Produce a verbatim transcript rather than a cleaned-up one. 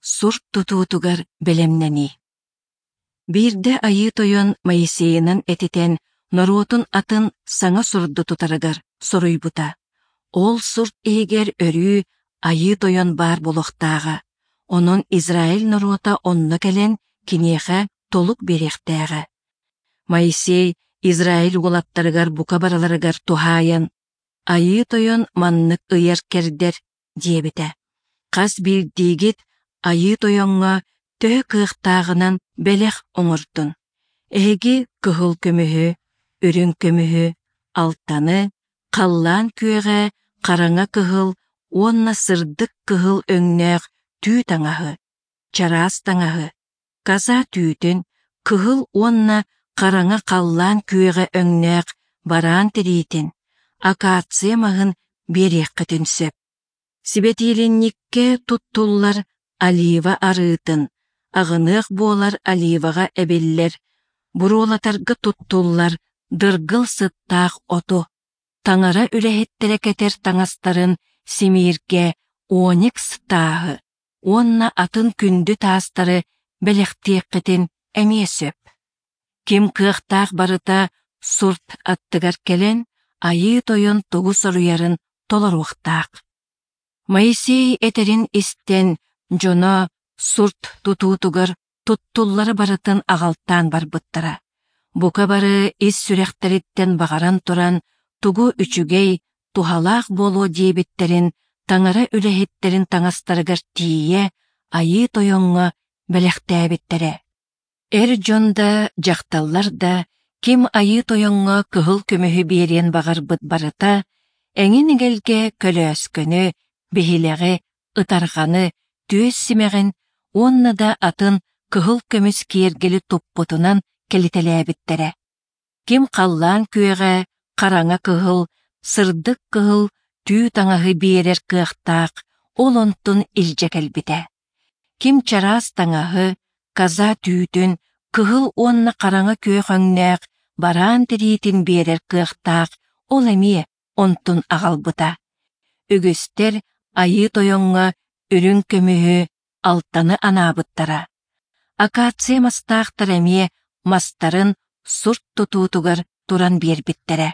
Сурт тутуутугар бэлэмнэнии. Биирдэ Айыы Тойон Моисейынан этитэн норуотун атын саҥа сурду тутарыгар соруйбута. Ол сурт иһигэр өрүү Айыы Тойон баар буолуохтааҕа. Онон Израиль норуота онно кэлэн киниэхэ толук биэриэхтээҕэ. Моисей Израиль уолаттарыгар бука барыларыгар туһаайан «Айыы Тойон маннык ыйар-кэрдэр» диэбитэ. Хас биирдиигит Айыы Тойоҥҥо төһө кыахтааҕынан бэлэх оҥордун. Эһиги кыһыл көмүһү, үрүҥ көмүһү, алтаны, халлаан күөҕэ, хараҥа кыһыл уонна сырдык кыһыл өҥнөөх түү таҥаһы, чараас таҥаһы, коза түүтүн, кыһыл уонна хараҥа халлаан күөҕэ өҥнөөх бараан тириитин, акация маһын биэриэххитин сөп. Сибэтиилинньиккэ туттуллар олива арыытын, аҕыныах буолар оливаҕа эбиллэр, буруолатарга туттуллар дыргыл сыттаах оту, таҥара үлэһиттэрэ кэтэр таҥастарын симииргэ оникс тааһы уонна атын күндү таастары бэлэхтиэххитин эмиэ сөп. Ким кыахтаах барыта сурт аттыгар кэлэн, Айыы Тойон тугу соруйарын толоруохтаах. Моисей этэрин истэн, дьоно сурт тутуутугар туттуллары барытын аҕалтаан барбыттара. Бука бары ис сүрэхтэриттэн баҕаран туран, тугу үчүгэй, туһалаах буолуо диэбиттэрин таҥара үлэһиттэрин таҥастарыгар тиийэ Айыы Тойоҥҥо бэлэхтээбиттэрэ. Эр дьон да, дьахталлар да, ким Айыы Тойоҥҥо кыһыл көмүһү биэриэн баҕарбыт барыта, эҥин эгэлгэ көлөөскөнү, биһилэҕи, ытарҕаны, түөс симэҕин уонна да атын кыһыл көмүс киэргэли туппутунан кэлитэлээбиттэрэ. Ким халлаан күөҕэ, хараҥа кыһыл, сырдык кыһыл түү таҥаһы биэрэр кыахтаах, ол онтун илдьэ кэлбитэ. Ким чараас таҥаһы, коза түүтүн, кыһыл уонна хараҥа күөх өҥнөөх бараан тириитин биэрэр кыахтаах, ол эмиэ онтун аҕалбыта. Үгүстэр Айыы Тойоҥҥо үрүҥ көмүһү, алтаны анаабыттара. Акация мастаахтар эмиэ мастарын сурт тутуутугар туран биэрбиттэрэ.